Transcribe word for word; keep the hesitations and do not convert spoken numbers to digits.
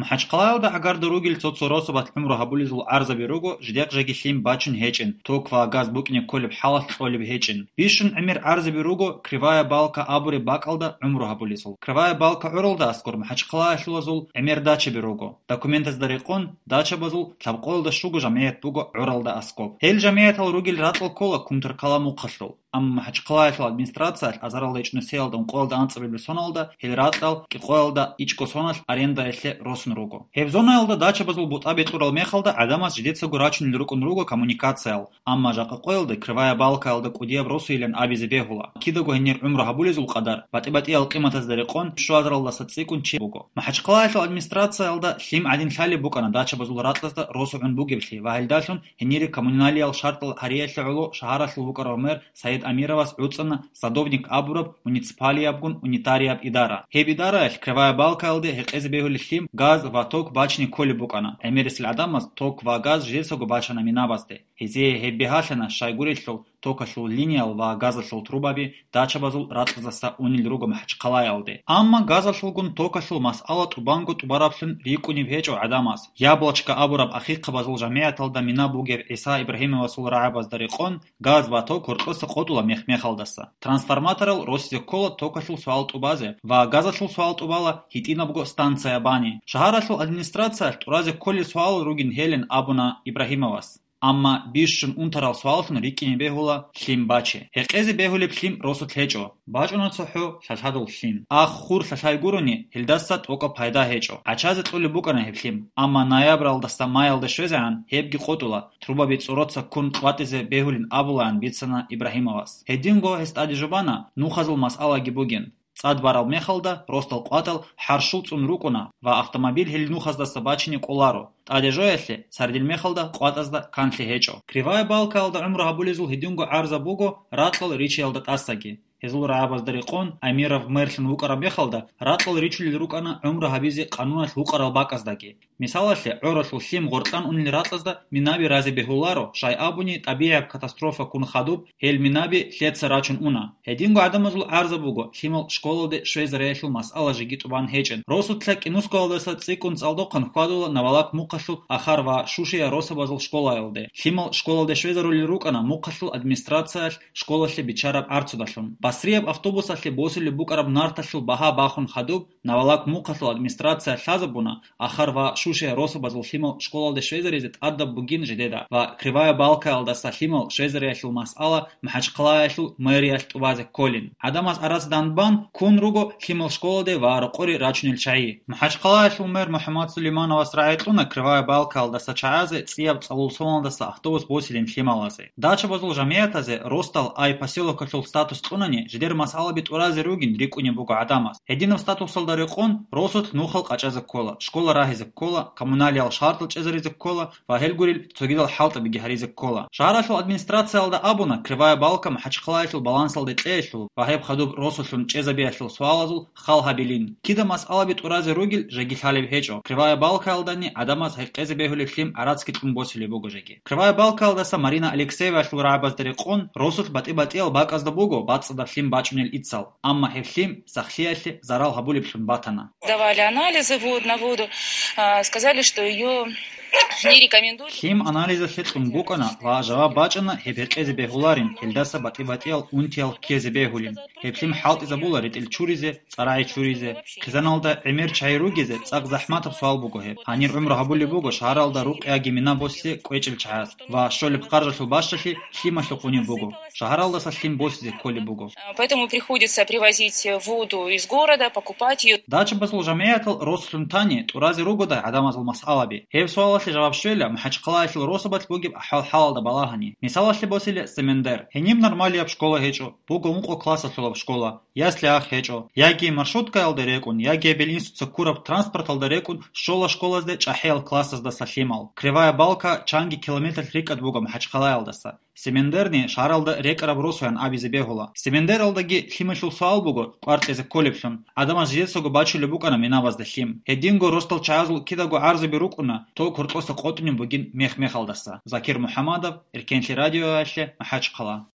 МахӀачхъалаялда гӀагарда ругел цо-цо росабалъ гӀумру гьабулезул гӀарзаби руго, жидехъ жеги лъим бачун гьечӀин, ток ва газ букӀине кколеб хӀалалъ кьолеб гьечӀин. Бищун гӀемер гӀарзаби руго Кривая Балка абуреб бакӀалда гӀумру гьабулезул. Кривая Балка гӀуралда аскӀор МахӀачхъалаялъулазул гӀемер дачаби руго. Документазда рекъон, дачабазул лъабкъоялда щуго жамгӀият буго гӀуралда аскӀоб. Гьел жамгӀиятал ругел ракьал ккола Кумтаркала мухъалъул. Амма МахӀачхъалаялъул администрациялъ азаралда ичӀнусиялда ункъоялда анцӀабилеб соналда гьел ракьал кӀикъоялда ичӀго соналъ арендаялъе росун руго. Гьеб зонаялда дачабазул бутӀа бекьурал мехалда гӀадамаз жидецаго рачунел рукӀун руго коммуникациял, амма жакъа къоялда Кривая Балкаялда кӀудияб росуйилан абизе бегьула, кидаго гьенир гӀумру гьабулезул къадар, батӀи-батӀиял къиматазда рекъон, щуазаралдаса цӀикӀкӀун чи буго. МахӀачхъалаялъул администрациялда лъим гӀадин лъалеб букӀана дачабазул ракьазда росу гӀун бугеблъи ва гьелдалъун гьенире коммуналиял шартӀал гьариялъе гӀоло шагьаралъул вукӀарав мэр Саид Амировас гӀуцӀана садовник абураб муниципалиябгун унитарияб идара. Гьеб идараялъ Кривая Балкаялде гьекъезе бегьулеб лъим, газ ва ток бачине кколеб букӀана. ГӀемерисел гӀадамаз ток ва газ жидецаго бачана минабазде. Гьезие гьеб бигьалъана, щайгурелъул токалъул линиял ва газалъул трубаби дачабазул ракьаздаса унел руго МахӀачхъалаялде. Амма газалъулгун токалъул масъала тӀубанго тӀубараблъун рикӀкӀунеб гьечӀо гӀадамаз. Яблочко абураб ахихъабазул жамигӀаталда мина бугеб ГӀиса Ибрагьимовасул рагӀабазда рекъон, газ ва ток гьоркьоса къотӀула мех-мехалдаса. Трансформаторал росизе ккола токалъул суал тӀубазе ва газалъул суал тӀубала гьитӀинабго станция бани. Шагьаралъул администрациялъ тӀуразе кколел суалал ругин гьелин абуна Ибрагьимовас. Амма бищун унтарал суаллъун рикӀкӀине бегьула лъим бачи. Гьекъезе бегьулеб лъим росулъ гьечӀо. БачӀуна цохӀо лъалъадул лъим. Ах-хур лъалъай гурони, гьелдаса тӀокӀаб пайда гьечӀо. ГӀачазе кьолеб букӀана гьеб лъим. Амма ноябралдаса майялде щвезегӀан гьебги къотӀула, трубаби цӀороца ккун къватӀизе бегьулин абулаан бицана Ибрагьимовас. Гьединго гьес тӀаде жубана нухазул масъалаги бугин. ЦӀад барал мехалда росдал къватӀал хӀарщул цӀун рукӀуна ва автомобиль гьел нухаздаса бачине кӀоларо. ТӀаде жоялъе, сардил мехалда къватӀазда канлъи гьечӀо. Кривая Балкаялда гӀумру гьабулезул гьединго гӀарза буго ракьал ричиялда тӀасаги. Гьезул рагӀабазда рекъон, Амиров мэрлъун вукӀараб мехалда, ракьал ричулел рукӀана гӀумру гьабизе къануналъ вукӀарал бакӀаздаги. Мисалалъе, гӀоралъул лъим гъоркьан унел ракьазда минаби разе бегьуларо, щай абуни тӀабигӀияб катастрофа ккун хадуб, гьел минаби лъеца рачун уна. Гьединго гӀадамазул гӀарза буго лъимал школалде щвезариялъул масъала жеги тӀубан гьечӀин. Росулъа кӀинусгоялдаса цӀикӀкӀун цӀалдохъан хьвадула Навалак мухъалъул Ахар ва Шушия росабазул школаялде. Лъимал школалде щвезарулел рукӀана мухъалъул администрациялъ школалъе биччараб гӀарцудалъун. Басрияб автобусалъе босулеб букӀараб нарталъул багьа бахун хадуб, Навалак мухъалъул администрация лъазабуна Ахар ва Шушия росабазул лъимал школалде щвезаризе тӀадаб бугин жидеда ва Кривая Балкаялдаса лъимал щвезариялъул масъала МахӀачхъалаялъул мэриялъ тӀубазе кколин. ГӀадамаз арацадан бан ккун руго лъимал школалде ва рокъоре рачунел чагӀи. МахӀачхъалаялъул мэр МухӀаммад Сулеймановас рагӀи кьуна Кривая Балкаялдаса чагӀазе цӀияб цӀалул соналдаса автобус босилин лъималазе. Дачабазул жамигӀатазе росдал ай поселокалъул статус кьунани, жидер масъалаби тӀуразе ругин рикӀкӀунеб буго гӀадамаз. Гьединаб статусалда рекъон росулъ нухал къачӀазе ккола, школа рагьизе ккола, коммуналиял шартӀал чӀезаризе ккола ва гьелгурел цогидал хӀалтӀабиги гьаризе ккола. Шагьаралъул администрациялда абуна Кривая Балка МахӀачхъалаялъул балансалде кьеялъул ва гьеб хадуб росулъун чӀезабиялъул суалазул хал гьабилин. Кида масъалаби тӀуразе ругел жеги лъалеб гьечӀо. Кривая Балкаялдани гӀадамаз гьекъезе бегьулеб лъим гӀарацги кьун босулеб буго жеги. Кривая Балкаялдаса Марина Алексеевалъул рагӀабазда рекъон, росулъ батӀи-батӀиял бакӀазда буго бацӀцӀадаб лъим бачӀунел ицал, амма гьеб лъим сахлъиялъе зарал гьабулеблъун батана. Давали анализы, вот, на воду. А, сказали, что её не рекомендуют. Лъим анализалъе кьун букӀана ва жаваб бачӀана гьеб гьекъезе бегьуларин, гьелдаса батӀи-батӀиял унтиял ккезе бегьулин. Гьеб лъим хӀалтӀизабула ретӀел чуризе, цӀарагӀи чуризе. Хъизаналда гӀемер чагӀи ругезе цӀакъ захӀматаб суал буго гьеб. Гьанир гӀумру гьабулеб буго шагьаралда рукъ яги мина босизе кӀвечӀел чагӀаз ва щолеб харжалъул бащалъи лъималъухъ унеб буго. Шагьаралдаса лъим босизе кколеб буго. Поэтому приходится привозить воду из города, покупать её. Дачабазул жамигӀатал росулъун тани тӀуразе ругодай гӀадамазул масъалаби? Гьеб суалалъе жаваб щвела МахӀачхъалаялъул росабалъ бугеб ахӀвал-хӀалалда балагьани. Мисалалъе босила Семендер. Гьениб нормалияб школа гьечӀо, буго ункъо классалъулаб школа, ясли-ах гьечӀо. Яги маршруткаялда рекӀун, яги гьеб институтца ккураб транспорталда рекӀун щола школазде чӀахӀиял классаздаса лъимал. Кривая Балка чанги километр рикӀкӀад буго МахӀачхъалаялдаса. Семендерни шагьаралда рекӀараб росуян абизе бегьула. Семендералдаги лъималъул суал буго кӀвар кьезе кколеблъун. ГӀадамаз жидецаго бачулеб букӀана минабазда лъим. Гьединго росдал чагӀазул кидаго гӀарзаби рукӀуна, ток гьоркьоса къотӀунеб бугин мех-мехалдаса. Закир МухӀамадов, Эркенлъи радиоялъе, МахӀачхъала.